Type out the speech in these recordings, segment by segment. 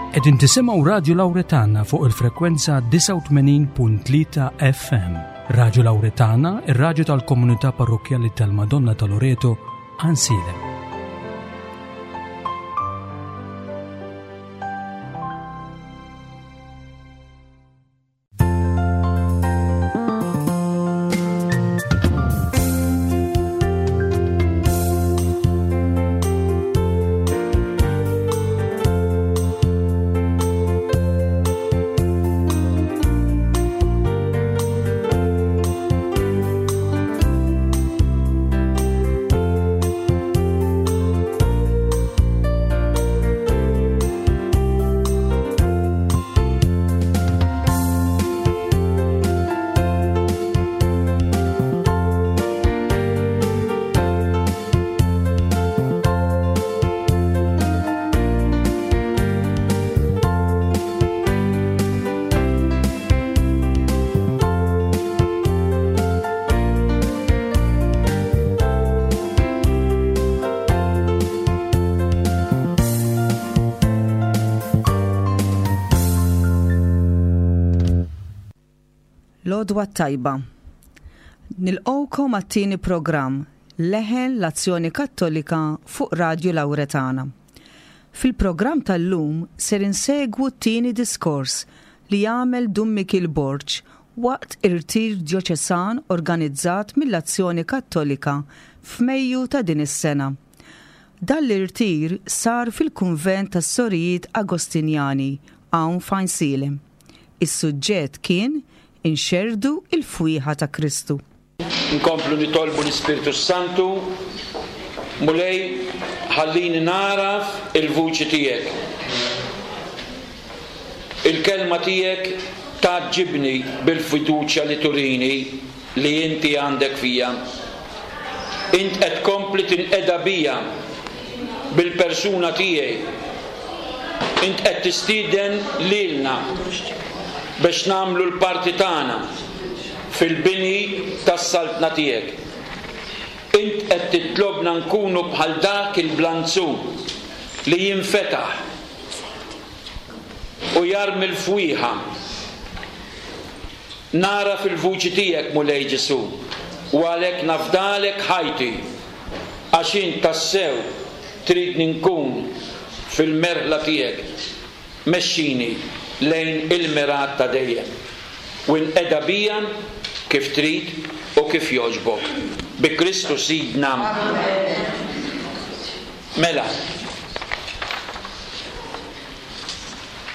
Qegħdin tisimgħu Radju Lawretana fuq il-frekwenza 89.3 FM. Radju Lawretana, ir-radju tal-komunità parrokkjali tal-Madonna ta' Loreto, Għansielem. L-għodwa t-tajba. Nilqgħukom għat-tieni programm Leħen l-Azzjoni Kattolika fuq Radju Lawretana. Fil-programm tal-lum ser insegwu t-tieni diskors li għamel Dun Mikiel Borg waqt irtir djoċesan organizzat mill-Azzjoni Kattolika f'Mejju ta' din is-sena. Dan l-irtir sar fil-Kunvent tas-Sorijiet Agostinjani hawn f'Għajnsielem. Is-suġġett kien Inxerrdu l-fwieħa ta' Kristu. Nkomplu nitolbu l-Ispirtu s-Santu, Mulej, ħallini nagħraf il-vuċi tiegħek. Il-kelma tiegħek tgħaġġibni bil-fiduċja li turini li inti għandek fija. Int qed tkompli tinqeda bija bil-persuna tiegħi. Int qed tistieden lilna biex nagħmlu l-parti tagħna fil-bini tas-Saltna tiegħek. Int qed titlobna nkunu bħal dak il-blanzun li jinfetaħ u jarmi l-fwieħa. Nagħraf il-vuċi tiegħek, Mulej Ġesù, u għalhekk nafdalek ħajti, għax int tassew tridni nkun fil-merħla tiegħek. Mexxini lejn il-mergħat ta' dejjem, u inqeda bija kif trid u kif jogħġbok. Bi Kristu Sidna. Mela,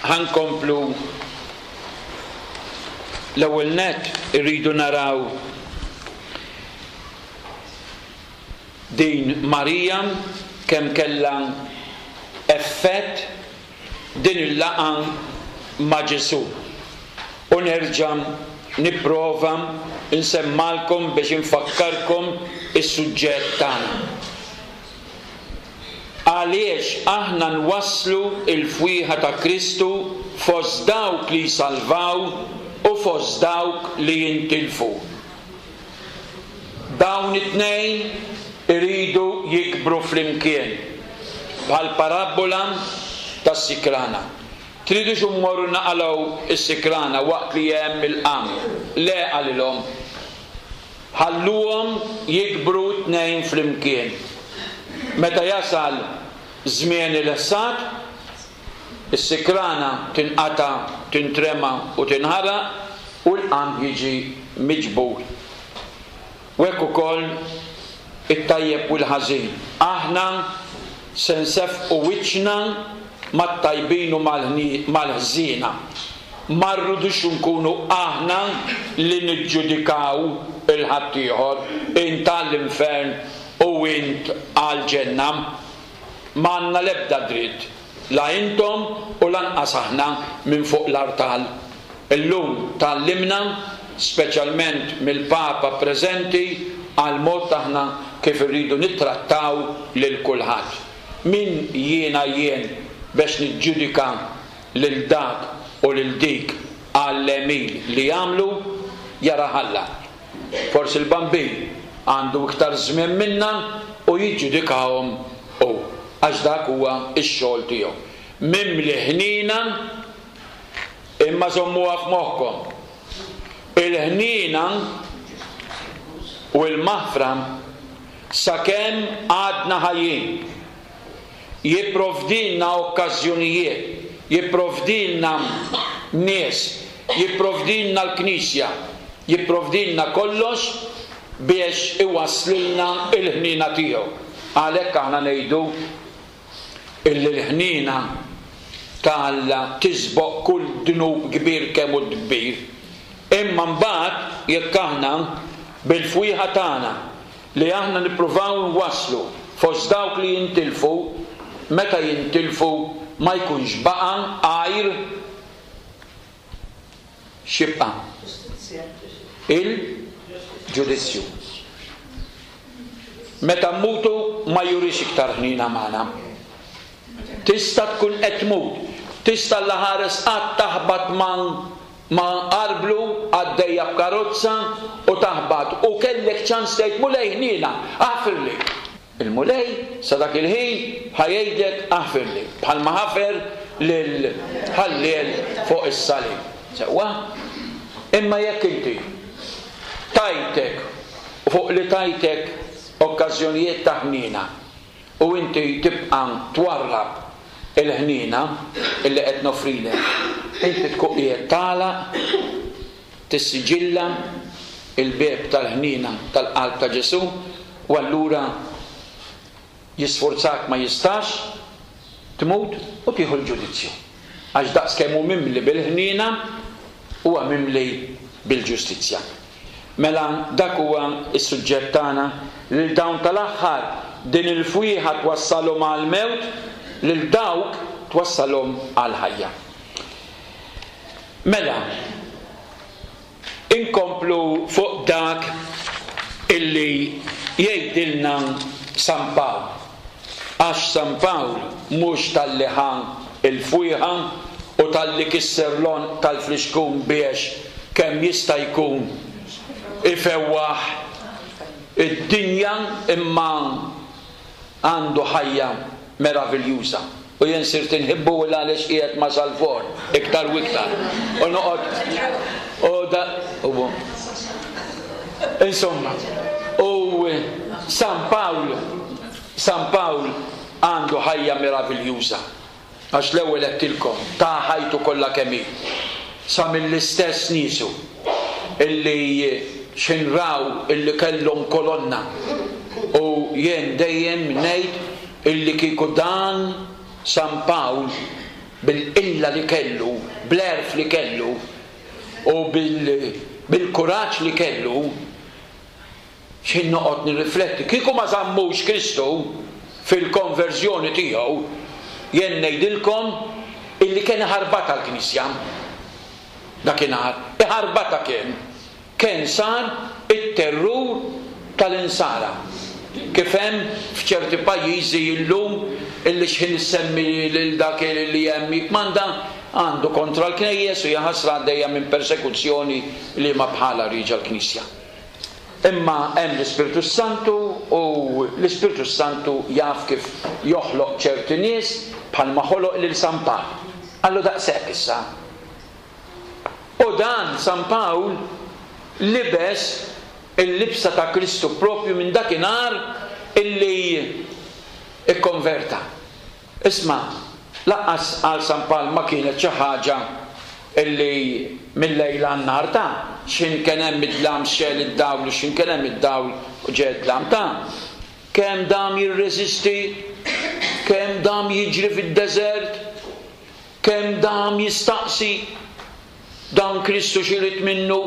ħa nkomplu. L-ewwel nett irridu naraw din Marija kemm kellha effett din il-laqgħa ma' Ġesù. U nerġa' nipprova nsemmgħalkom biex infakkarkom is-suġġett tagħna. Għaliex aħna nwasslu l-fwieħa ta' Kristu fost dawk li jsalvaw u fost dawk li jintilfu. Dawn it-tnejn iridu jikbru flimkien, bħall-parabbola tas-sikrana. Tridux immorru naqalgħu s-sikrana waqt li hemm il-qamħ? Le, qalilhom. Ħalluhom jikbru t-tnejn flimkien. Meta jasal żmien il-ħsad, is-sikrana tinqata', tintrema u tinħaraq, u l-qamħ jiġi miġbur. U hekk ukoll it-tajjeb u l-ħażin. Aħna se nseffqu wiċċna mat-tajbin u mal-ħżiena. Ma rridux inkunu aħna li niġġudikaw 'il ħaddieħor, int għall-infern u int għall-ġenna. M'għandna l-ebda dritt, la intom u lanqas aħna minn fuq l-artal. Illum tgħallimna, speċjalment mill-Papa preżenti, għall-mod aħna kif irridu nittrattaw lil kulħadd. Min jiena jien bex niġġudika lil dak u lil dik għall-għemil li jagħmlu, jarah Alla. Forsi l-Bambin għandu iktar żmien minna u jiġġudikahom hu, għax dak huwa x-xogħol tiegħu. Mimli ħniena, imma żommuha f'moħħkom. Il-ħniena u l-maħfra sakemm għadna ħajjin. Jipprovdilna okkażjonijiet, jipprovdilna nies, jipprovdilna l-Knisja, jipprovdilna kollox biex iwasslilna l-ħniena tiegħu. Għalhekk aħna ngħidu illi l-ħniena ta' Alla tisboq kull dnub kbir kemm hu kbir. Imma mbagħad jekk aħna bil-fwieħa tagħna li aħna nippruvaw nwasslu fost dawk li jintilfu, meta jintilfu ma jkunx baqa' għajr x'jibqa'? Il-ġudizzju. Meta mmutu ma jurix iktar ħniena magħna. Tista' tkun qed tmut, tista' Alla ħares qatt taħbat ma' ma' arblu għaddejja b'karozza u taħbat u kellek ċans tgħid Mulej ħniena, aħfirli. Il-Mulej sa dak il-ħin ħa jgħidlek aħfirli, bħalma ħafer lill-ħalliel fuq is-salib. Sewwa? Imma jekk inti tajtek u fuq li tajtek okkażjonijiet ta' ħniena u inti tibqa' twarrab il-ħniena illi qed noffrilek, inti tkun qiegħed tagħlaq, tissiġilla l-bieb tal-ħniena tal-qalb ta' Ġesù u allura jisfurzak ma jistax, tmut u tieħu l-ġudizzju. Għax daqskemm hu mimli bil-ħniena, huwa mimli bil-ġustizzja. Mela dak huwa s-suġġett tagħna, lil dawn tal-aħħar din il-fwieħa twassalhom għall-mewt, lil dawk twassalhom għall-ħajja. Mela, inkomplu fuq dak illi jgħidilna San Pawl. Għax San Pawl mhux talli ħa l-fwieħa u talli kisser l-għonq tal-flixkun biex kemm jista' jkun ifewwaħ id-dinja imma għandu ħajja meraviljuża u jien sirt inħibbu il għaliex qiegħed ma' Salvor iktar u iktar u noqgħod u da u insomma u San Pawl San Pawl għandu ħajja meraviljuża. Għax l-ewwel għedtilkom, ta ħajtu kollha kemm hi, sa mill-istess niesu illi x'ħin raw illi kellhom kolonna u jien dejjem ngħid illi kieku dan San Pawl bil-qilla li kellu, bl-għerf li kellu u bil-kuraġġ li kellu, X'ħin noqgħod nirrifletti, kieku ma żammux Kristu fil-konverżjoni tiegħu, jien ngħidilkom illi kien iħarbatha l-Knisja dakinhar. Iħarbatha kien. Kien sar it-terrur tal-Insara. Kif hemm f'ċerti pajjiżi llum illi x'ħin issemmi lil dak li hemm jikkmanda, għandu kontra l-knejjes u jaħasra għaddejja minn persekuzzjoni liema bħalha rieġa l-Knisja. Imma hemm l-Ispirtu s-Santu u l-Ispirtu s-Santu jaf kif joħloq ċerti nies bħalma ħoloq lil San Pawl. Qallu daqshekk issa. U dan San Pawl libes il-libsa ta' Kristu proprju minn dakinhar illi kkonverta. Isma', lanqas għal San Pawl ma kienet xi ħaġa illi mil-lejl għan-nhar ta', x'ħin kien hemm id-dlam xegħel id-dawl u x'ħin kien hemm id-dawl ġe d-dlam ta'. Kemm dam jirreżisti, kemm dam jiġri fid-deżert, kemm dam jistaqsi dan Kristu x'irid minnu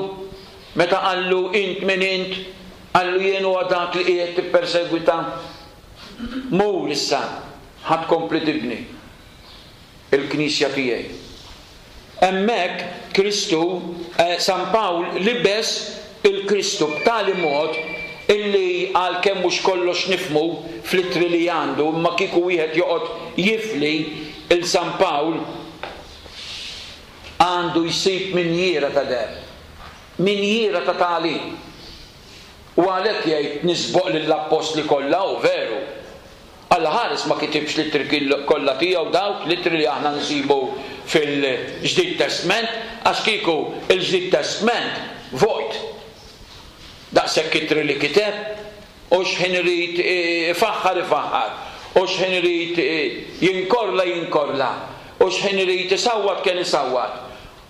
meta qallu int min int, qallu jien huwa dak li qiegħed tippersegwita. Mur issa, ħa tkompli tibni l-knisja tiegħi. Hemmhekk Kristu, San Pawl libes il-Kristu b'tali mod illi għalkemm mhux kollox nifhmu fl-ittri li għandu imma kieku wieħed joqgħod jifli 'l San Pawl għandu jsib minjiera ta' deheb, minjiera ta' tagħlim. U għalhekk jgħid nisboq lill-appostli kollha, hu veru. Alla ħares ma kitibx l-ittri kollha tiegħu dawk l-ittri li aħna nsibu fil-Ġdid Testment għax kieku l-Ġdid Testment vojt. Daqshekk ittri li kiteb u x'ħin irid ifaħħar ifaħħar u x'ħin irid jinkorla jinkorla u x'ħin irid isawwat kien isawwat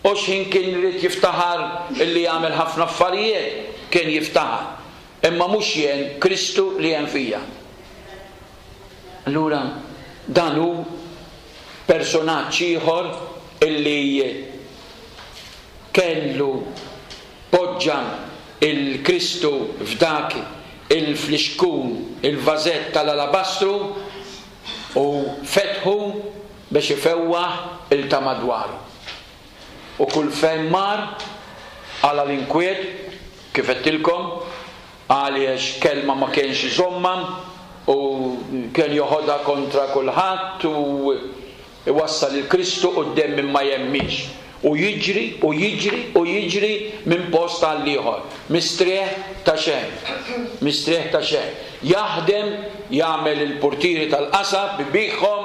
u x'ħin kien irid jiftaħar illi għamel ħafna affarijiet kien jiftaħar. Imma mhux jien, Kristu li hemm fija. Allura dan hu personaġġ ieħor illi kellu poġġa l-Kristu f'dak il-flixkun, il-vażett tal-alabastru u fetħu biex ifewwaħ 'il ta' madwaru. U kull fejn mar, qala' l-inkwiet, kif għedtilkom, għaliex kelma ma kienx iżommha u kien joħodha kontra kulħadd u iwassal lil Kristu quddiem min ma jemminx. U jiġri u jiġri u jiġri minn post għal ieħor. Mistrieħ ta' xejn. Mistrieħ ta' xejn. Jaħdem, jagħmel il-purtieri tal-qasab, ibiegħhom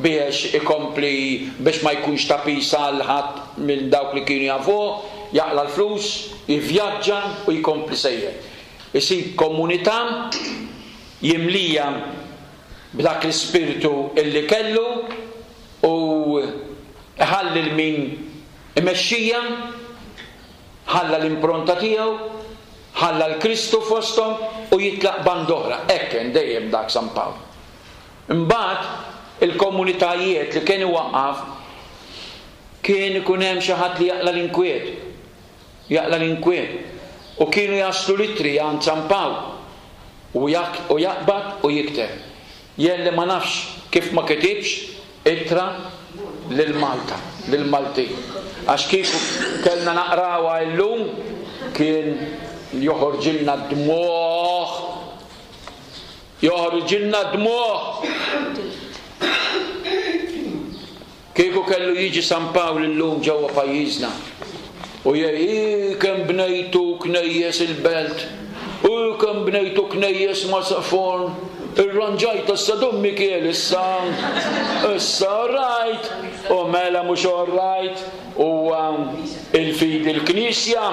biex ikompli biex ma jkunx ta' piż għal ħadd minn dawk li kienu jafuh, jaqla' l-flus, jivvjaġġa u jkompli sejjer. Isib komunità jimlija b'dak l-ispirtu illi kellu u iħalli 'l min imexxija, ħalla l-impronta tiegħu, ħalla 'l Kristu fosthom u jitlaq band'oħra. Hekk kien dejjem dak San Pawl. Imbagħad il-komunitajiet li kien iwaqqaf kien ikun hemm xi ħadd li jaqla' l-inkwiet. Jaqla' l-inkwiet. U kienu jaslu l-ittri għand San Pawl u jaqbad u jikteb. Jien li ma nafx kif ma kitibx ittra lil Malta, lill-Maltin. Għax kieku kellna naqrawha illum kien joħorġilna d-dmugħ. Joħorġilna d-dmugħ! Kieku kellu jiġi San Pawl illum ġewwa pajjiżna u jgħid, Hi kemm bnejtu knejjes il-Belt, hi kemm bnejtu knejjes ma' forn, irranġajt issa Dun Mikiel issa, issa all right, u mela mhux all right, huwa il-fidi l-Knisja.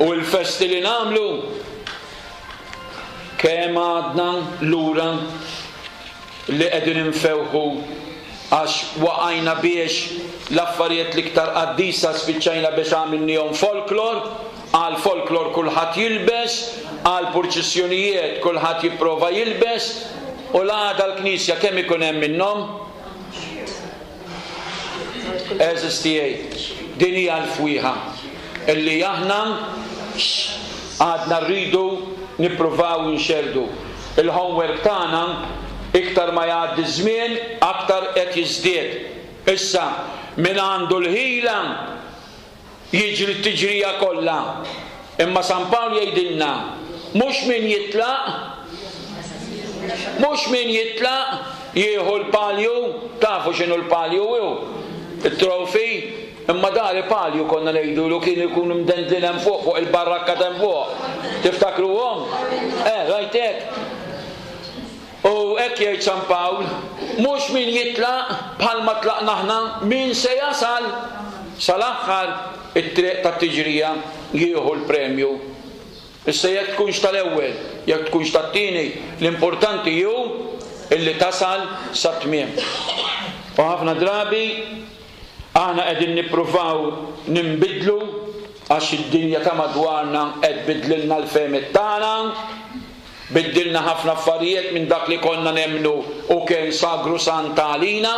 U l-festi li nagħmlu kemm għadna lura li qegħdin infewħu għax waqajna biex l-affarijiet l-iktar qaddisa spiċċajna biex għamilniehom folklor, għal folklor kulħadd jilbes, għal purċissjonijiet kulħadd jipprova jilbes, u l-għada l-knisja kemm ikun hemm minnhom? Għeżież tiegħi, din hija l-fwieħa li aħna għadna rridu nippruvaw inxerrdu. Il-homework tagħna iktar ma jgħaddi ż-żmien aktar qed jiżdied. Issa, min għandu l-ħila jiġri t-tiġrija kollha. Imma San Pawl jgħidilna, mhux min jitlaq, mhux min jitlaq jieħu l-palju, tafu x'inhu l-palju hu? It-trophy, imma dari palju konna ngħidulu kien ikun imdendlin hemm fuq fuq il-barrakka t'hemm fuq. Tiftakruhom? Eh, rajt hekk? U hekk jgħid San Pawl, mhux min jitlaq bħalma tlaqna aħna, min se jasal sal-aħħar it-triq tat-tiġrija jieħu l-premju. Issa jekk tkunx tal-ewwel, jekk tkunx tat-tieni, l-importanti hu illi tasal sat-tmiem. U ħafna drabi aħna qegħdin nippruvaw ninbidlu għax id-dinja ta' madwarna qed tbiddlilna l-fehmiet tagħna, Biddilna ħafna affarijiet minn dak li konna nemmnu u kien sagrosant għalina.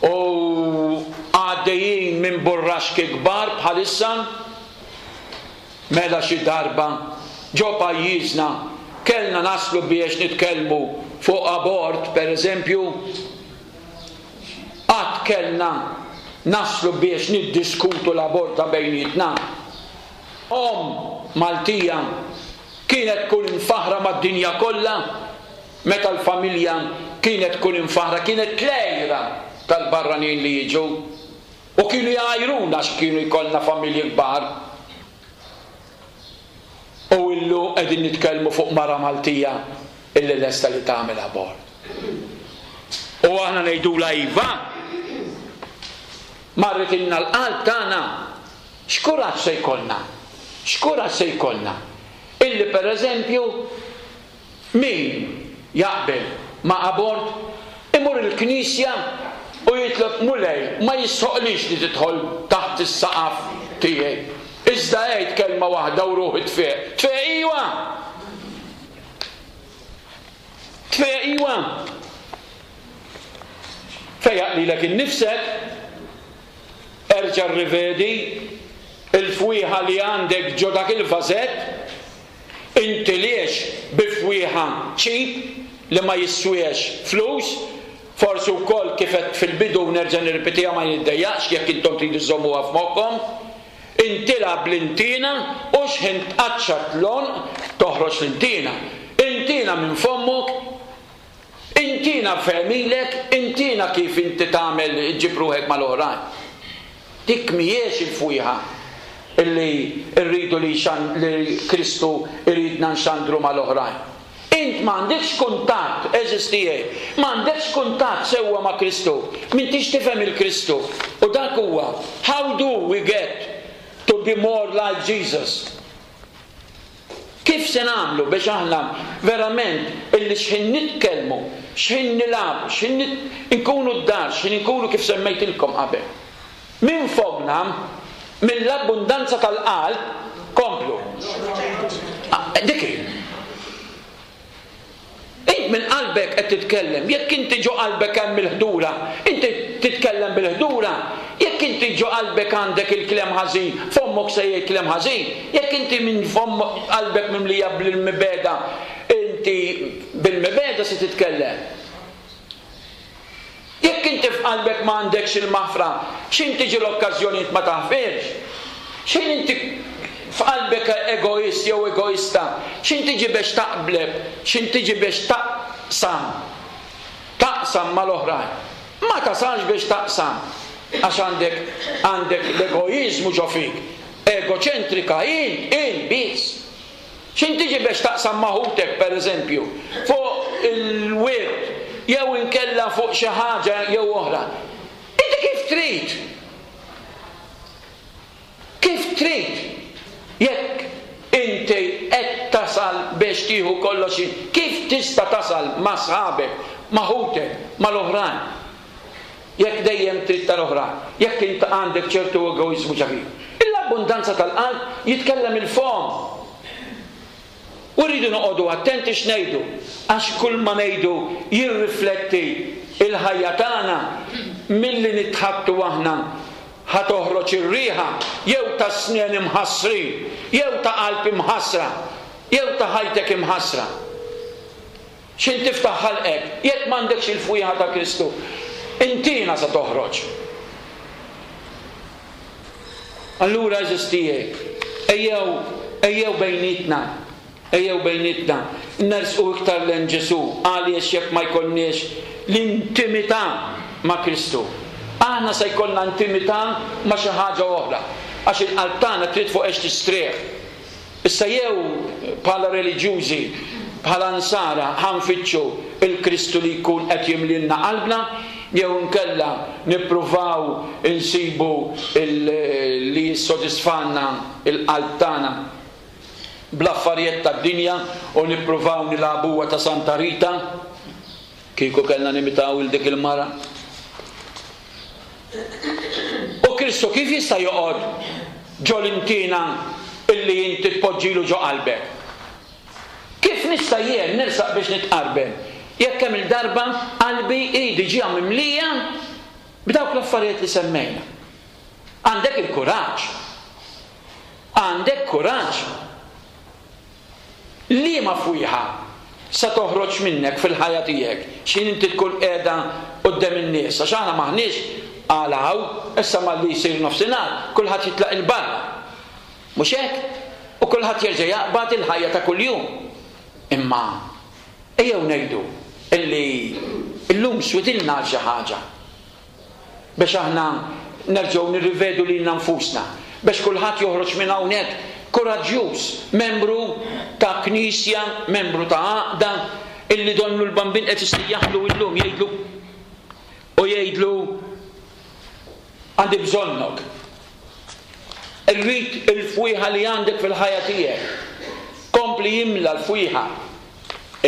U għaddejjin minn burraxki kbar bħalissa. Mela xi darba ġo pajjiżna kellna naslu biex nitkellmu fuq abort, per eżempju. Qatt kellna naslu biex niddiskutu l-abort ta' bejnietna? Omm Maltija kienet tkun imfaħħra mad-dinja kollha meta l-familja kienet tkun imfaħħra, kienet l-għira tal-barranin li jiġu u kienu jgħajruna għax kienu jkollna familji kbar. U illu qegħdin nitkellmu fuq mara Maltija. illi lesta li tagħmel abort. U aħna ngħidulha iva. Marritilna l-qalb tagħna. X'kuraġġ se jkollna? X'kuraġġ se jkollna? Illi pereżempju min jaqbel ma' abort imur il-knisja u jitlob Mulej ma jistħoqlix li tidħol taħt is-saqaf tiegħi. Iżda għid kelma waħda u ruħi tfieq. Tfieq iwa! Tfejjaq iwa. Fejjaq lilek innifsek, erġa' rrivedi l-fwieħa li għandek ġo dak il-vażett, intiliex bi fwieħa cheap li ma jiswiex flus, forsi wkoll kif għedt fil-bidu u nerġa' nirripetiha ma niddejjaqx jekk intom tridu żżommuha f'moħħkom, Intilgħab bl-intiena u x'ħin tqaċċat l-għonq toħroġ l-intiena. Intiena minn fommok, intiena f'għemilek, intiena kif inti tagħmel iġġib ruħek mal-oħrajn. Dik mhijiex il-fwieħa li rridu li li Kristu jridna nxandru mal-oħrajn. Int m'għandekx kuntatt, għeżież tiegħi, m'għandekx kuntatt sewwa ma' Kristu. M'intix tifhem il-Kristu. U dak huwa, how do we get to be more like Jesus? Kif se nagħmlu biex aħna verament illi x'ħin nitkellmu, x'ħin nilagħbu, x'ħin nkunu d-dar, x'ħin inkunu kif semmejtilkom qabel. Minn fommna, mill-abbundanza tal-qalb, komplu. Dik hi. Int minn qalbek qed titkellem. Jekk inti ġo qalbek hemm il-ħdura, inti titkellem bil-ħdura. Jekk inti ġo qalbek għandek il-kliem ħażin, fommok se jgħid kliem ħażin. Jekk inti minn fomm qalbek mimlija bil-mibegħda, inti bil-mibegħda se titkellem. Jekk inti f'qalbek ma għandekx il-maħfra, x'ħin tiġi l-okkażjoni int ma taħfirx. X'ħin inti f'qalbek egoist jew egoista, x'ħin tiġi bex taqbleb, x'ħin tiġi bex taqsam, taqsam mal-oħrajn. Ma tasalx biex taqsam għax għandek għandek l-egoiżmu ġo fik. Egoċentrika int, int biss. X'int tiġi bex taqsam ma' ħutek, per eżempju, fuq il-wirt jew inkella fuq xi ħaġa jew oħra? Inti kif trid? Kif trid? Jekk inti qed tasal biex tieħu kollox int, kif tista' tasal ma' sħabek, ma' ħutek, mal-oħrajn? Jekk dejjem trid tal-oħrajn, jekk int għandek ċertu egoiżmu ġa fik. Mill-abbundanza tal-qalb jitkellem il-fomm. U rridu noqogħdu attenti x'ngħidu, għax kull ma ngħidu jirrifletti l-ħajja tagħna, milli nitħaddtu aħna ħa toħroġ ir-riħa jew ta' snien imħassrin, jew ta' qalb imħassra, jew ta' ħajtek imħassra. X'int tiftaħ ħalqek, jekk m'għandekx il-fwieħa ta' Kristu, intiena se toħroġ. Allura għeżież tiegħi, ejjew, ejjew bejnietna, ejjew bejnietna, nersqu iktar lejn Ġesù, għaliex jekk ma jkollniex l-intimità ma' Kristu, aħna se jkollna intimità ma' xi ħaġa oħra, għax il-qalb tagħna trid fuq għex tistrieħ. Issa jew bħala reliġjużi, bħala Nsara ħa nfittxu l-Kristu li jkun qed jimlielna qalbna, jew inkella nippruvaw insibu li jissodisfalna l-qalb tagħna bl-affarijiet tad-dinja u nippruvaw nilagħbuha ta' Santa Rita, kieku kellna nimitaw 'il dik il-mara. U Kristu kif jista' joqgħod ġo l-intiena illi inti tpoġġilu ġo qalbek? Kif nista' jien nersaq biex nitqarben jekk kemm-il darba qalbi hi diġà mimlija b'dawk l-affarijiet li semmejna? Għandek il-kuraġġ? Għandek kuraġġ? Liema fwieħa se toħroġ minnek fil-ħajja tiegħek x'ħin inti tkun qiegħda quddem in-nies? Għax aħna m'aħniex għal hawn, issa malli jsir nofsinhar kulħadd jitlaq 'il barra. Mhux hekk? U kulħadd jerġa' jaqbad il-ħajja ta' kuljum. Imma ejjew ngħidu illi llum switilna għal xi ħaġa. biex aħna nerġgħu nirrivedu lilna nfusna, biex kulħadd joħroġ minn hawnhekk kuraġġjuż, membru ta' knisja, membru ta' għaqda, Illi donnu l-Bambin qed isejjaħlu illum jgħidlu u jgħidlu għandi bżonnok. Irrid il-fwieħa li għandek fil-ħajja tiegħek. Kompli imla l-fwieħa.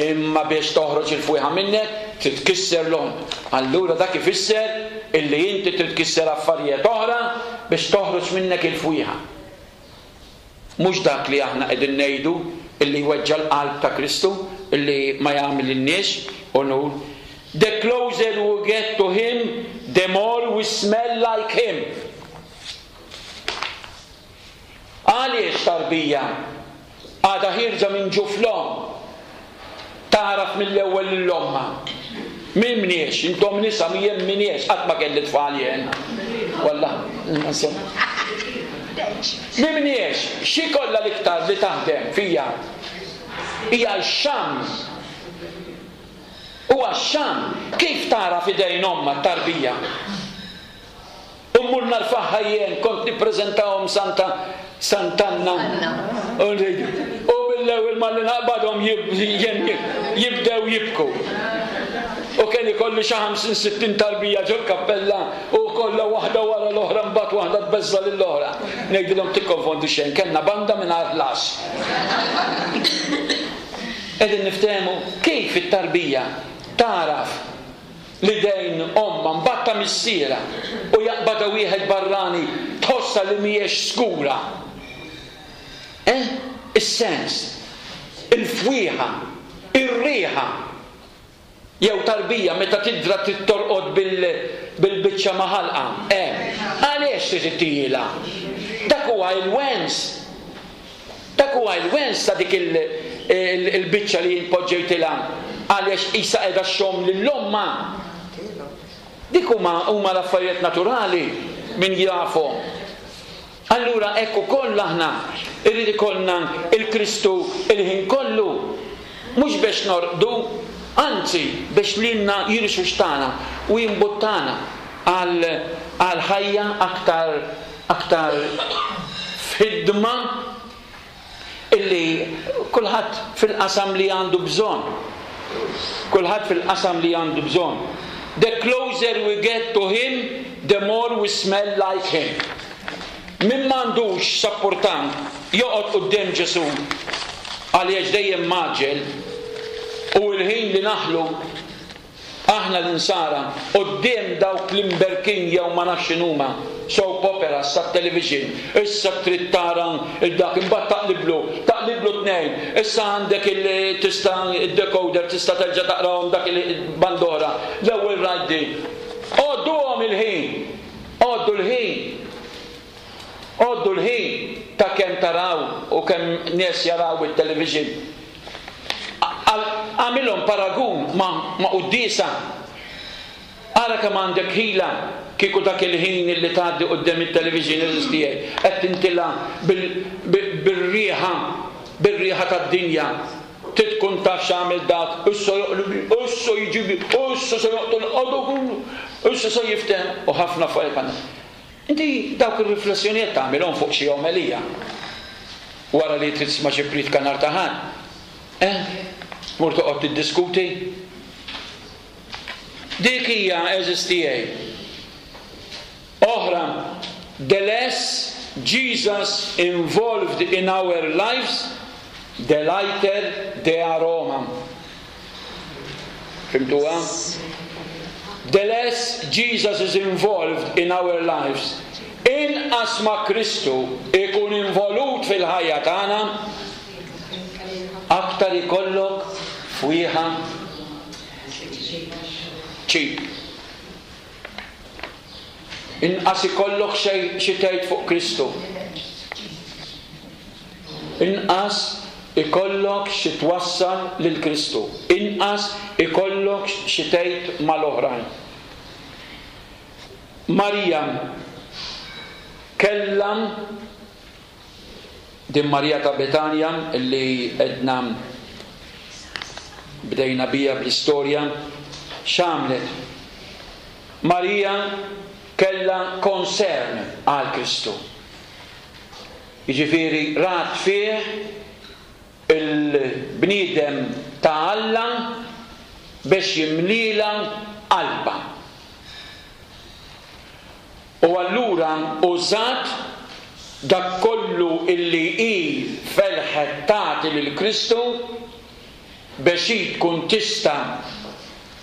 Imma biex toħroġ il-fwieħa minnek, trid tkisser l-għonq. Allura dak ifisser illi inti trid tkisser affarijiet oħra biex toħroġ minnek il-fwieħa. Mhux dak li aħna qegħdin ngħidu illi jweġġa' l-qalb ta' Kristu illi ma jagħmlilniex unur. The closer we get to him, the more we smell like him. Għaliex tarbija għadha ħierġa minn ġuf l-omm tagħraf mill-ewwel lil ommha? Min mniex, intom nisa jien m'iniex, qatt ma kelli tfal jien. Wallah, insomma. Min mniex, xi kollha l-iktar li taħdem fija hija x-xamm. Huwa x-xamm. Kif tagħraf idejn ommha t-tarbija? U mmur narfagħha jien, kont nippreżentahom Santa Sant'Anna. U mill-ewwel malli naqbadhom jibdew jibku. U kien ikolli xi 50 60 tarbija ġol-kappella u kollha waħda wara l-oħra mbagħad waħda tbeżża' lill-oħra. Ngħidilhom tikkonfondu xejn, kellna banda mingħajr ħlas. Qegħdin niftehmu kif it-tarbija tagħraf L-idejn ommha mbagħad ta' missierha u jaqbadha wieħed barrani tħossha li mhijiex skura. Eh? Is-sens. Il-fwieħa. Ir-riħa. Jew tarbija meta tidra trid torqod bil-biċċa ma' ħalqha. Eh? Għaliex trid ittihilha? Dak huwa il-wens. Dak huwa il-wens ta' dik il-biċċa li jien poġġejtilha għaliex qisha qiegħda xxomm lil ommha. Dik huma huma l-affarijiet naturali min jafhom. Allura hekk ukoll aħna jrid ikollna il-Kristu il-ħin kollu, mhux biex norqdu, anzi biex lilna jirxuxtana u jimbuttana għal għal ħajja aktar aktar f'ħidma illi kulħadd fil-qasam li għandu bżonn. Kulħadd fil-qasam li għandu bżonn. The closer we get to him, the more we smell like him. Min m'għandux sapportant joqgħod quddiem Ġesù għaliex dejjem mgħaġġel u l-ħin li naħlu Aħna l-Insara, quddiem dawk l-imberkin jew ma nafx x'inhuma, soap operas tat-television, issa trid tara 'l dak, imbagħad taqliblu, taqliblu tnejn, issa għandek il tista' id-decoder tista' terġa' taqrahom dak il band'oħra, l-ewwel rajt din. Għodduhom il-ħin! Għoddu l-ħin! Għoddu l-ħin ta' kemm taraw u kemm nies jaraw it-television. Agħmilhom paragun ma' ma' quddiesa. Ara kemm għandek ħila kieku dak il-ħin illi tgħaddi quddiem it-television għeżież tiegħi qed tintilha bil-riħa bir-riħa tad-dinja. Trid tkun taf x'għamel dak, issa joqlibli, issa jiġibli, issa se joqtol, issa se jiftehem u ħafna affarijiet bħal dawn. Inti dawk ir-riflessjonijiet tagħmilhom fuq xi omelija wara li trid tisma' xi prietka nhar ta' Ħadd? Eh? Tmur toqgħod tiddiskuti? Dik hija, għeżież tiegħi. Oħra, the less Jesus involved in our lives, the lighter the aroma. Fhimtuha? The less Jesus is involved in our lives, inqas ma Kristu ikun involut fil-ħajja tagħna, aktar ikollok fwieħa cheap. Inqas ikollok xi tgħid fuq Kristu. Inqas ikollok xi twassal lil Kristu, inqas ikollok xi tgħid mal-oħrajn. Marija kellha din Marija ta' Betanja li għedna bdejna biha bl-istorja, x'għamlet? Marija kellha concern għal Kristu. Jiġifieri rat fih il-bniedem ta' Alla. biex jimlielha qalbha. U allura użat dak kollu illi hi felħet tagħti lil Kristu biex hi tkun tista'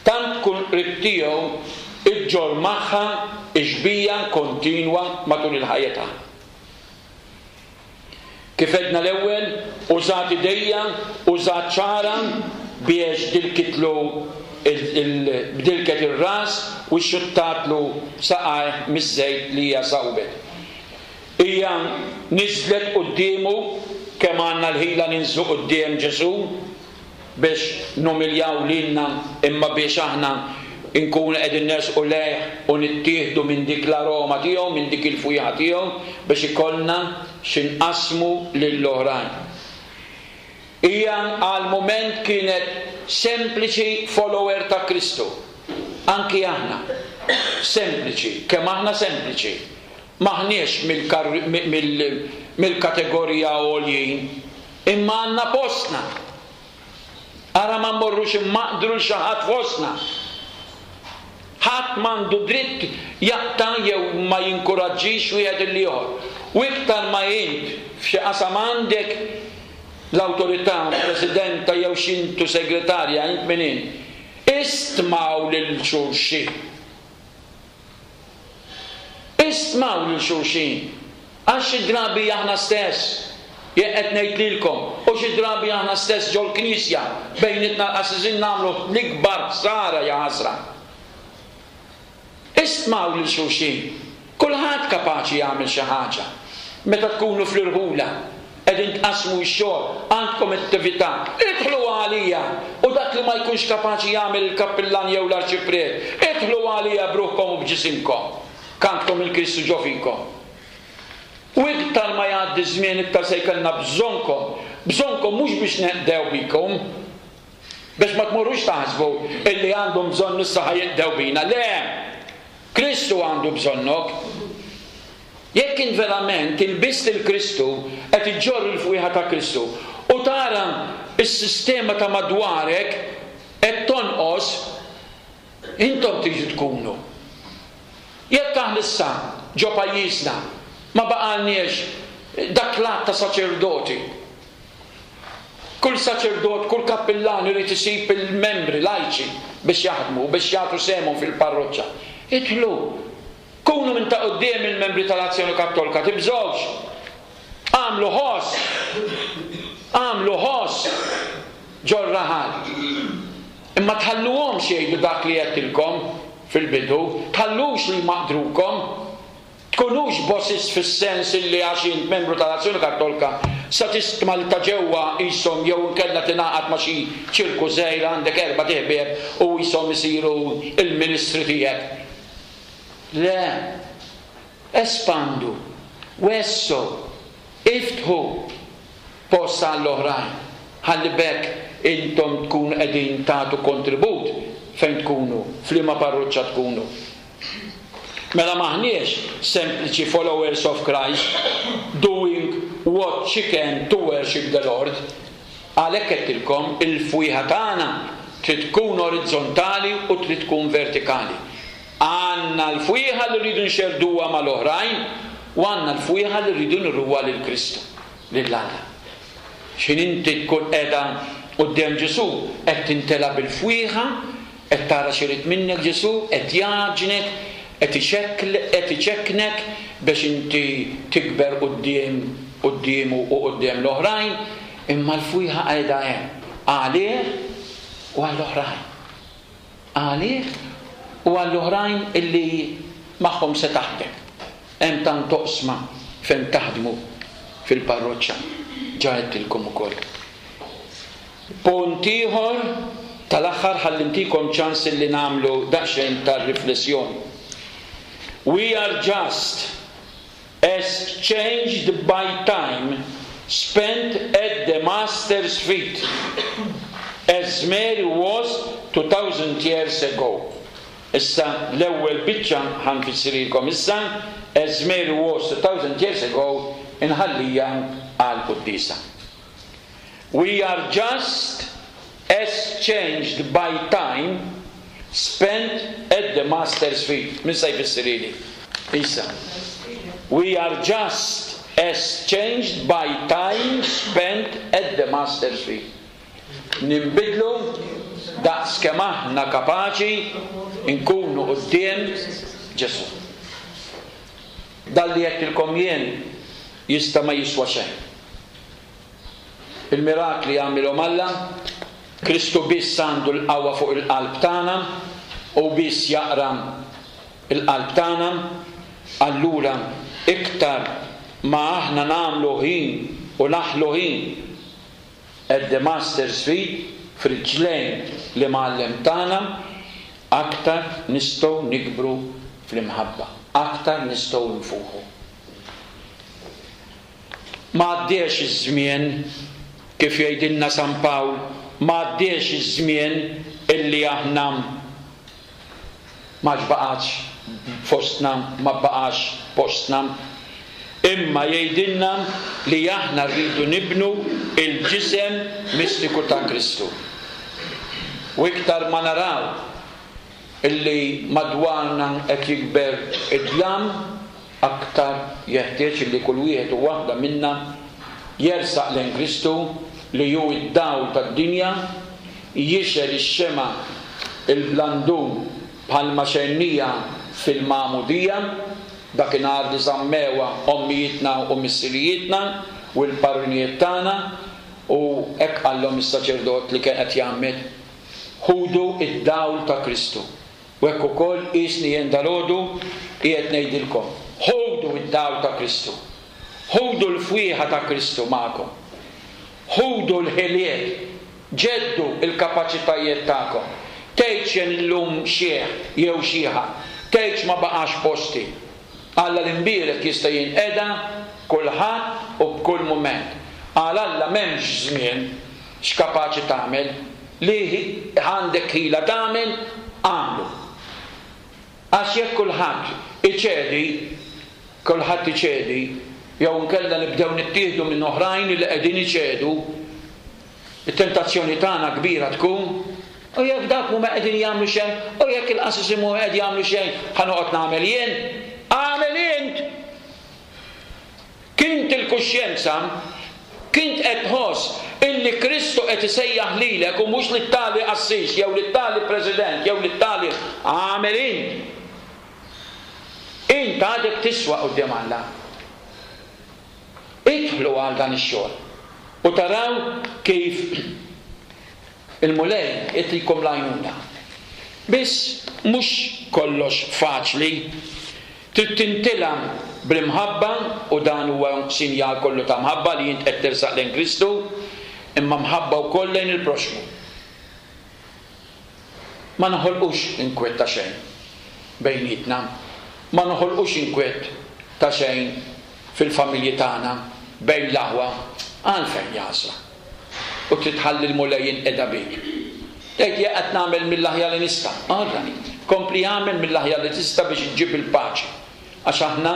tant tkun qrib tiegħu iġġorr magħha x-xbieha kontinwa matul il-ħajja tagħha. Kif għedna l-ewwel, użat idejha, użat xagħarha biex dilkitlu bdilket ir-ras u xxuttatlu saqajh miż-żejt li hija sawbet. Hija niżlet quddiemu, kemm għandna l-ħila ninżlu quddiem Ġesù? biex numiljaw lilna imma biex aħna nkunu qegħdin nersqu lejh u nittieħdu minn dik l-aroma tiegħu, minn dik il-fwieħa tiegħu biex ikollna xi nqassmu lill-oħrajn. Hija għal mument kienet sempliċi follower ta' Kristu. Anki aħna. Sempliċi, kemm aħna sempliċi. M'aħniex mill-kategorija għoljin. Imma għandna postna. Ara ma mmorrux immaqdru 'l xi ħadd fostna. Ħadd m'għandu dritt jaqta' jew ma jinkuraġġix wieħed lill-ieħor. U iktar ma int f'xi qasam għandek l-awtorità, presidenta jew x'intu segretarja, int min int, istmaw lil xulxin. Istmaw lil xulxin, għax xi drabi aħna stess, jekk qed ngħid lilkom, u xi drabi aħna stess ġol-Knisja, bejnietna l-qassisin nagħmlu l-ikbar ħsara jaħasra. Istmaw lil xulxin. Kulħadd kapaċi jagħmel xi ħaġa. Meta tkunu fl-irħula, qegħdin tqassmu x-xogħol, għandkom attività, idħlu għalija! U dak li ma jkunx kapaċi jagħmel il-kappillan jew l-arċipriet, idħlu għalija b'ruħkom u b'ġisimkom, k'għandkom il-Kristu ġo fikom. U iktar ma jgħaddi ż-żmien iktar se jkollna bżonnkom, bżonnkom mhux biex neqdew bikom, biex ma tmorrux taħsbu illi għandhom bżonn issa ħa jeqdew bina, le! Kristu għandu bżonnok. Jekk int verament ilbist lil Kristu, qed iġġorr il-fwieħa ta' Kristu, u tara s-sistema ta' madwarek qed tonqos, intom tridu tkunu. Jekk aħna issa ġo pajjiżna ma baqgħalniex dak l-għadd ta' saċerdoti, kull saċerdot, kull kappillan irid isib il-membri lajċi biex jaħdmu u biex jagħtu sehemhom fil-parroċċa. Idħlu! Kunu minn ta' quddiem il-membri tal-Azzjoni Kattolka, tibżgħux! Agħmlu ħoss! Agħmlu ħoss ġor-raħal. Imma tħalluhomx jgħidu dak li għedtilkom fil-bidu, tħallux li jmaqdrukom. Tkunux bosses fis-sens illi għax int membru tal-Azzjoni Kattolka sa tistma' li ta' ġewwa qishom jew inkella tingħaqad ma' xi ċirku żgħir għandek erbat iħbieb u qishom isiru l-ministri tiegħek. Le. Espandu, wessgħu, iftħu post għall-oħrajn, ħalli b'hekk intom tkunu qegħdin tagħtu kontribut fejn tkunu, f'liema parroċċa tkunu. Mela m'aħniex sempliċi followers of Christ doing what she can to worship the Lord. Għalhekk għedtilkom il-fwieħa tagħna trid tkun orizzontali u trid tkun vertikali. Għandna l-fwieħa li rridu nxerrduha mal-oħrajn u għandna l-fwieħa li rridu nuruha lil Kristu, lil Alla. X'ħin inti tkun qiegħda quddiem Ġesù, qed timtela bil-fwieħa, qed tara x'irid minnek Ġesù, qed jgħaġġnek, qed ixekkl, qed iċekknek biex inti tikber quddiem quddiemu u quddiem l-oħrajn, imma l-fwieħa qiegħda hemm għalih u għall-oħrajn. Għalih u għall-oħrajn illi magħhom se taħdem. Hemm tant oqsma fejn taħdmu fil-parroċċa, ġa għedtilkom ukoll. Punt ieħor tal-aħħar ħalli ntikom ċans illi nagħmlu daqsxejn ta' riflessjoni. We are just as changed by time spent at the Master's feet, as Mary was 2000 years ago. Issa l-ewwel biċċa ħa nfissirhielkom issa, as Mary was 2000 years ago, inħallija għall-quddiesa. We are just. as changed by time spent at the Master's feet. Min sa jfissirhieli? Isa. We are just as changed by time spent at the Master's feet. Ninbidlu daqs kemm aħna kapaċi nkunu quddiem Ġesù. Dan li għedtilkom jien jista' ma jiswa xejn. Il-mirakli jagħmilhom Alla, Kristu biss għandu l-qawwa fuq il-qalb tagħna, hu biss jaqra l-qalb tagħna, allura iktar ma aħna nagħmlu ħin u naħlu ħin at the Master's feet, f'riġlejn l-Imgħallem tagħna, aktar nistgħu nikbru fl-imħabba, aktar nistgħu nfuħu. Ma għaddiex iż-żmien, kif jgħidilna San Pawl, ma għaddiex iż-żmien illi aħna m'għadx baqgħetx fostna, ma baqax postna. Imma jgħidilna li aħna rridu nibnu l-ġisem mistiku ta' Kristu. U iktar ma naraw illi madwarna qed jikber id-dlam, Aktar jeħtieġ li kull wieħed u waħda minna jersaq lejn Kristu li hu d-dawl tad-dinja, jixgħel ix-xemgħa l-blandun bħalma xegħlnieha fil-magħmudija, dakinhar li żammewha ommijietna u missirijietna u l-parrinijiet tagħna, u hekk qallhom is-saċerdot li kien qed jgħammed, Ħudu d-dawl ta' Kristu. U hekk ukoll qiesni jien dalgħodu qiegħed ngħidilkom, ħudu d-dawl ta' Kristu. Ħudu l-fwieħa ta' Kristu magħkom. Ħudu l-ħiliet, ġeddu l-kapaċitajiet tagħkom. Tgħidx jien illum xiħ jew xiħa, tgħidx ma baqax posti. Alla l-Imbierek jista' jinqeda b'kulħadd u b'kull mument. Għal Alla m'hemmx żmien x'kapaċi tagħmel. Li għandek ħila tagħmel, agħmlu. Għax jekk kulħadd iċedi, kulħadd iċedi, jew inkella nibdew nittieħdu minn oħrajn li qegħdin iċedu, it-tentazzjoni tagħna kbira tkun, U jekk dawk mhuma qegħdin jagħmlu xejn, u jekk il-qassisin mhuma qed jagħmlu xejn, ħa noqgħod nagħmel jien? Agħmel int! Kint il-kuxjenza, kint qed tħoss illi Kristu qed isejjaħ lilek u mhux lit-tali qassis jew lit-tali president jew lit-tali agħmel int. Int għadek tiswa quddiem Alla. Idħlu għal dan ix-xogħol u taraw kif Il-Mulej itikom l-għajnuna. Biss mhux kollox faċli. Trid tintilgħa bl-imħabba u dan huwa sinjal kollu ta' mħabba li int qed tersaq lejn Kristu, imma mħabba wkoll lejn il-proxxmu. Ma noħolqux inkwiet ta' xejn bejnietna, ma noħolqux inkwiet ta' xejn fil-familji tagħna, bejn l-aħwa, għalfejn jaħsra? U trid tħalli l-Mulej jinqeda bik. Tgħid jien qed nagħmel mill-aħjar li nista'. All right. Kompli agħmel mill-aħjar li tista' biex iġġib il-paċi. Għax aħna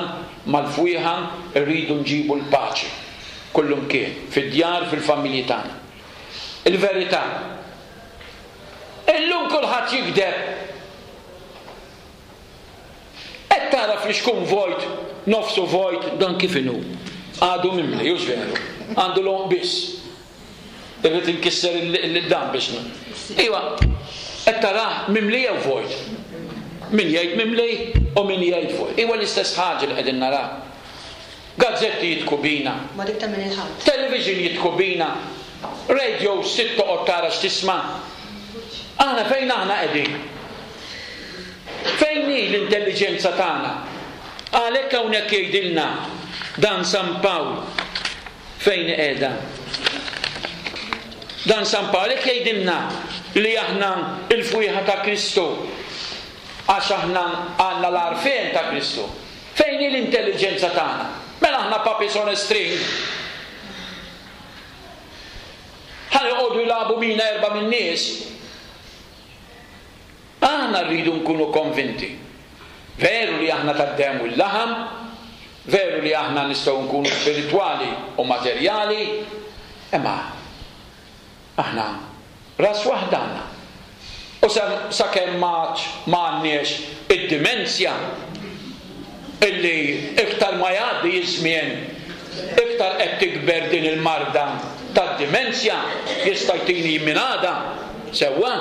mal-fwieħa rridu nġibu l-paċi kullumkien, fid-djar, fil-familji tagħna. Il-verità. Illum kulħadd jigdeb. Qed tara flixkun vojt, nofsu vojt, dan kif inhu? Għadu mimli, hux veru? Għandu l-għonq biss. Irrid inkisser il-dan biex. Iva, qed tarah mimli jew vojt? Min jgħid mimli u min jgħid vojt. Iwa l-istess ħaġa li qegħdin naraw. Gazzetti jidhku bina. Ma dik ta' min il-Ħadd. Television jidhku bina. Radios trid toqgħod tara x'tisma'. Aħna fejn aħna qegħdin? Fejn hi l-intelliġenza tagħna? Għalhekk hawnhekk jgħidilna dan San Pawl fejn hi qiegħda. Dan San Pawl hekk jgħidilna li aħna l-fwieħa ta' Kristu għax aħna għandna l-għarfien ta' Kristu. Fejn hi l-intelliġenza tagħna? Mela aħna puppies on a string. Ħa joqogħdu jilagħbu bina erbgħa min-nies. Aħna rridu nkunu konvinti. Veru li aħna tad-demm u l-laħam, veru li aħna nistgħu nkunu spiritwali u materjali, imma aħna. Ras waħda għandna. U sakemm m'għadx ma għandniex id-dimensja illi iktar ma jgħaddi ż-żmien iktar qed tikber din il-marda tad-dimensja, jista' jtini minn għada, sewwa?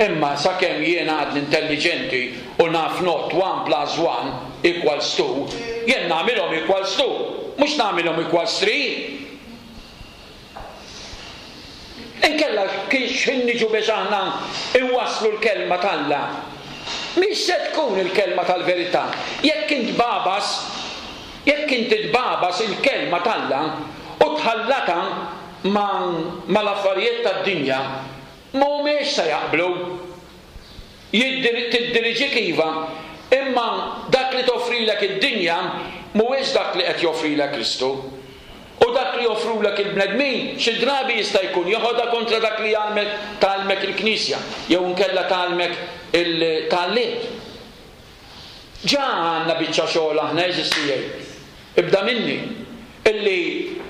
Imma sakemm jien għadni intelliġenti u naf ngħodd one plus one equals two, jien nagħmilhom equals two, mhux nagħmilhom equals three. Inkella x'ħin niġu biex aħna nwasslu l-Kelma t'Alla, mhix se tkun il-Kelma tal-verità. Jekk int tbagħbas, jekk inti tbagħbas il-Kelma t'Alla u tħallatha ma' mal-affarijiet tad-dinja, mhumiex se jaqblu. Tiddiriġik iva, imma dak li toffrilek id-dinja mhuwiex dak li qed joffrilek Kristu. U dak li joffrulek il-bnedmin xi drabi jista' jkun jeħodha kontra dak li jgħallmek tgħallmek il-Knisja jew inkella tgħallmek il-tgħallimt. Ġa għandna biċċa xogħol aħna għeżież tiegħi, ibda minni, illi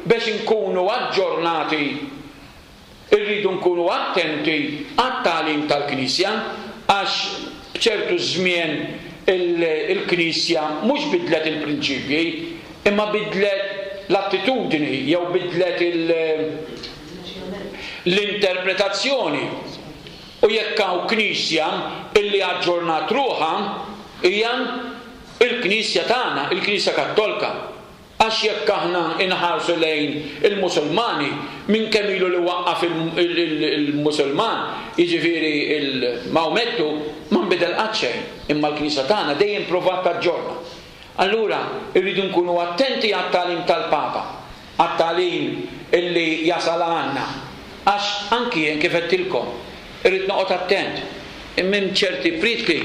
biex inkunu aġġornati Irridu nkunu attenti għat-tagħlim tal-Knisja għax b'ċertu żmien il-Knisja mhux bidlet il-prinċipji imma bidlet l-attitudni jew bidlet l-interpretazzjoni. U jekk hawn Knisja illi aġġornat ruħha hija l-Knisja tagħna, il-Knisja Kattolka. Għax jekk aħna inħarsu lejn il-Musulmani, minn kemm ilu li waqqaf il-Musulman, jiġifieri il-Mawmettu, ma nbidel qatt xejn. Imma l-Knisja tagħna dejjem provat taġġorna. Allura rridu nkunu attenti għat-tagħlim tal-Papa, għat-tagħlim illi jasal għandna. Għax anki jien kif għedtilkom, irrid noqgħod attent. Minn ċerti prietki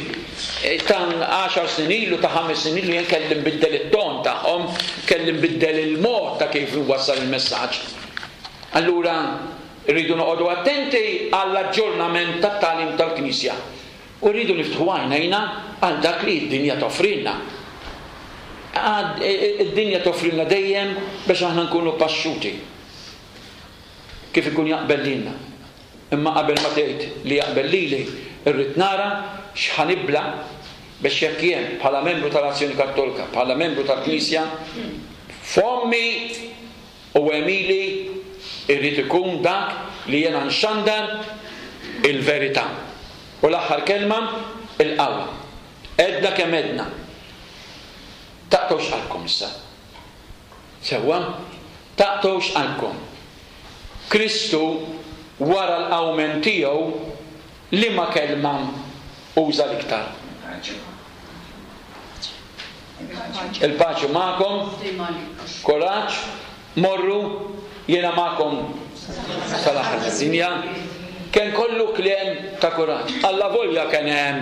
ta' għaxar snin ilu, ta' ħames snin ilu jien kelli nbiddel it-ton tagħhom, kelli nbiddel il-mod ta' kif inwassal il-messaġġ. Allura rridu noqogħdu attenti għall-aġġornament tat-tagħlim tal-Knisja u rridu niftħu għajnejna għal dak li d-dinja toffrilna. Id-dinja toffrilna dejjem biex aħna nkunu paxxuti. Kif ikun jaqbel lilna. Imma qabel ma tgħid li jaqbel lili, irrid nara x'ħa nibla' biex jekk jien, bħala membru tal-Azzjoni Kattolika, bħala membru tal-Knisja, fommi u għemili jrid ikun dak li jiena nxandar il-verità. U l-aħħar kelma, il-qawwa. Għedna kemm għedna. Taqtgħux qalbkom issa. Sewwa? Taqtgħux qalbkom. Kristu wara l-qawmien tiegħu liema kelma uża l-iktar? Il-paċi magħkom, kuraġġ, morru, jiena magħkom sal-aħħar tad-dinja. Kien kollu kliem ta' kuraġġ. Allavolja kien hemm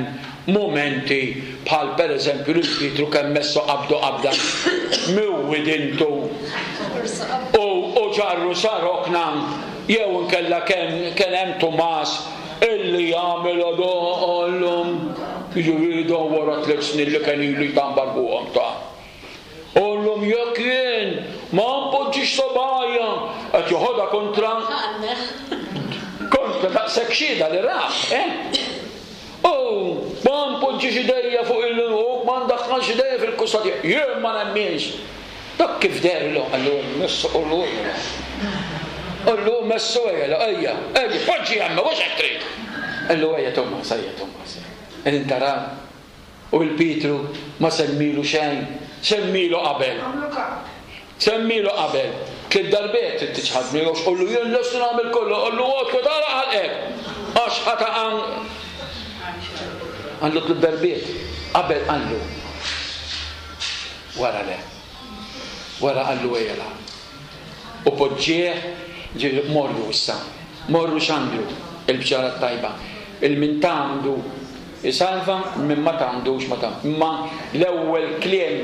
mumenti bħal pereżempju lil Pietru kemm messu qabdu qabda miwwidintu u u ġarru sa rokna jew inkella kemm kien hemm Tumas illi jagħmel għallhom jiġifieri dan wara tliet snin li kien ilu jtambar fuqhom ta' Qallhom jekk jien ma npoġġix subgħajja qed joħodha kontra kontra daqshekk xhieda li ra, eh? U ma npoġġix idejja fuq il u ma ndaħħalx idejja fil-kusta tiegħu. Jien ma nemminx. Dak kif deherlu, qallu messu qullu ejja. Qallu messu ejja, ejja, ejja, poġġi hemm, mhux hekk trid. Qallu ejja Tumas, ejja Tumas. Qegħdin taraw. U 'l Pietru ma semmielu xejn. Semmielu qabel. Semmielu qabel. Tliet darbiet trid tiċħadni għax qallu jien lest nagħmel kollu. Qallu oqgħod agħlaq ħalqek għax ħa taqa' Qallu tliet darbiet. Qabel qallu. Wara le. Wara qallu ejja la. U poġġieh ġifieri morru issa. Morru xandru il-bxara t-tajba. Il-min tgħammdu Isalva min ma tgħammdux ma tgħamm. Imma l-ewwel kliem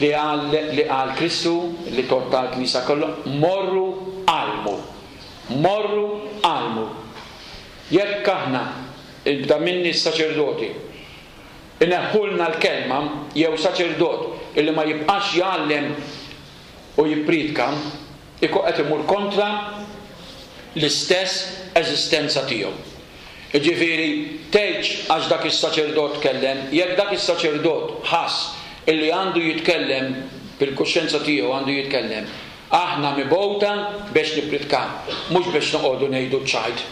li qal li qal Kristu li tgħodd għall-Knisja kollha, morru għallmu. Morru għallmu. Jekk aħna, ibda minni s-saċerdoti, ineħħulna l-kelma jew saċerdot illi ma jibqax jgħallem u jippriedka, ikun qed imur kontra l-istess. eżistenza tiegħu. Jiġifieri, tgħidx għax dak is-saċerdot tkellem, jekk dak is-saċerdot ħass illi għandu jitkellem, bil-kuxjenza tiegħu għandu jitkellem, aħna mibgħuta biex nippritkaw, mhux biex noqogħdu ngħidu ċ-ċajt,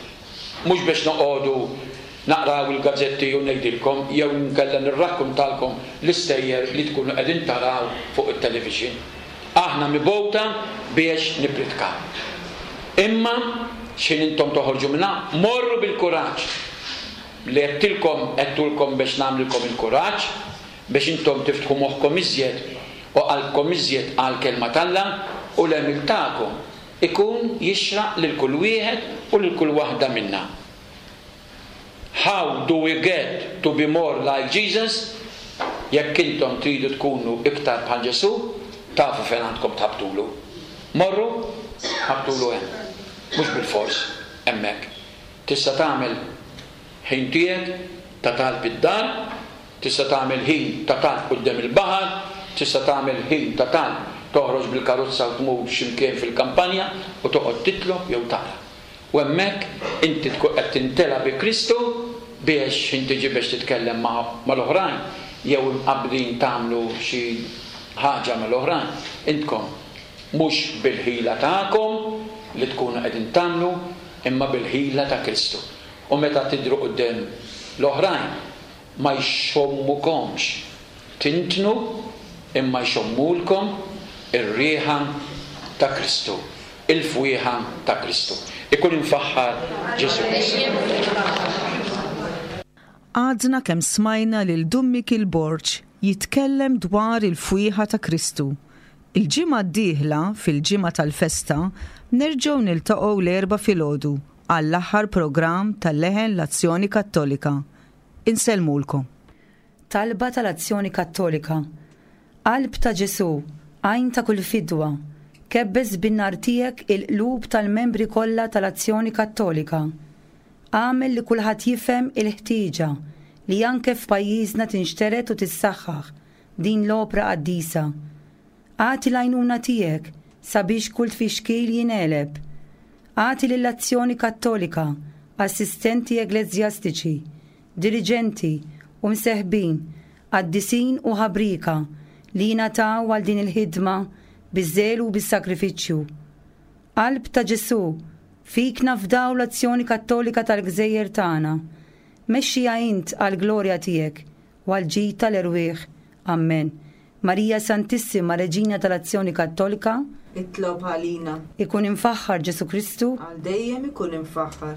mhux biex noqogħdu naqraw il-gazzetti u ngħidilkom jew inkella nirrakkuntalkom l-istejjer li tkunu qegħdin taraw fuq it-television. Aħna mibgħuta biex nippritkaw. Imma x'ħin intom toħorġu minn hawn, morru bil-kuraġġ. Li għedtilkom, għedtulkom biex nagħmlilkom il-kuraġġ, biex intom tiftħu moħħkom iżjed u qalbkom iżjed għall-Kelma t'Alla u l-għemil tagħkom ikun jixraq lil kull wieħed u lil kull waħda minna. How do we get to be more like Jesus? Jekk intom tridu tkunu iktar bħal Ġesù, tafu fejn għandkom tħabbtulu. Morru, ħabbtulu hemm. Mhux bilfors hemmhekk. Tista' tagħmel ħin tiegħek ta' talb id-dar, tista' tagħmel ħin ta' talb quddiem il-baħar, tista' tagħmel ħin ta' talb toħroġ bil-karozza u tmur xi mkien fil-kampanja u toqgħod titlob jew taqra. U hemmhekk inti tkun qed timtela bi Kristu biex x'ħin tiġi biex titkellem ma' mal-oħrajn jew imqabbdin tagħmlu xi ħaġa mal-oħrajn, intkom mhux bil-ħila tagħkom li tkunu qegħdin tagħmlu imma bil-ħila ta' Kristu. U meta tidhru quddiem l-oħrajn ma jxommukomx tintnu imma jxommulkom ir-riħa ta' Kristu. Il-fwieħa ta' Kristu. Ikun imfaħħar Ġesù Kristu. Għadna kemm smajna lil Dun Mikiel Borg jitkellem dwar il-fwieħa ta' Kristu. Il-ġimgħa d-dieħla, fil-ġimgħa tal-festa, nerġgħu niltaqgħu l-Erbgħa filgħodu għall-aħħar programm ta' Leħen l-Azzjoni Kattolika. Insellmulkom. Talba tal-Azzjoni Kattolika Qalb ta' Ġesù, għajn ta' kull fidwa, kebbes bin-nar tiegħek il-qlub tal-membri kollha tal-Azzjoni Kattolika. Agħmel li kulħadd jifhem il-ħtieġa li anke f'pajjiżna tinxtered u tissaħħaħ din l-opra qaddisa. Agħti l-għajnuna tiegħek sabiex kull tfixkil jingħeleb. Agħti lill-Azzjoni Kattolika assistenti eggleżjastiċi, diriġenti u mseħbin, qaddisin u ħabrieka li jingħataw għal din il-ħidma biż-żelu u bis-sagrifiċċju. Qalb ta' Ġesù, fik nafdaw l-azzjoni Kattolika tal-gżejjer tagħna. Mexxiha int għall-glorja tiegħek u għall-ġid tal-erwieħ. Ammen. Marija Santissima, Reġina tal-Azzjoni Kattolika, Itlob għalina. Ikun imfaħħar Ġesù Kristu. Għal dejjem ikun imfaħħar.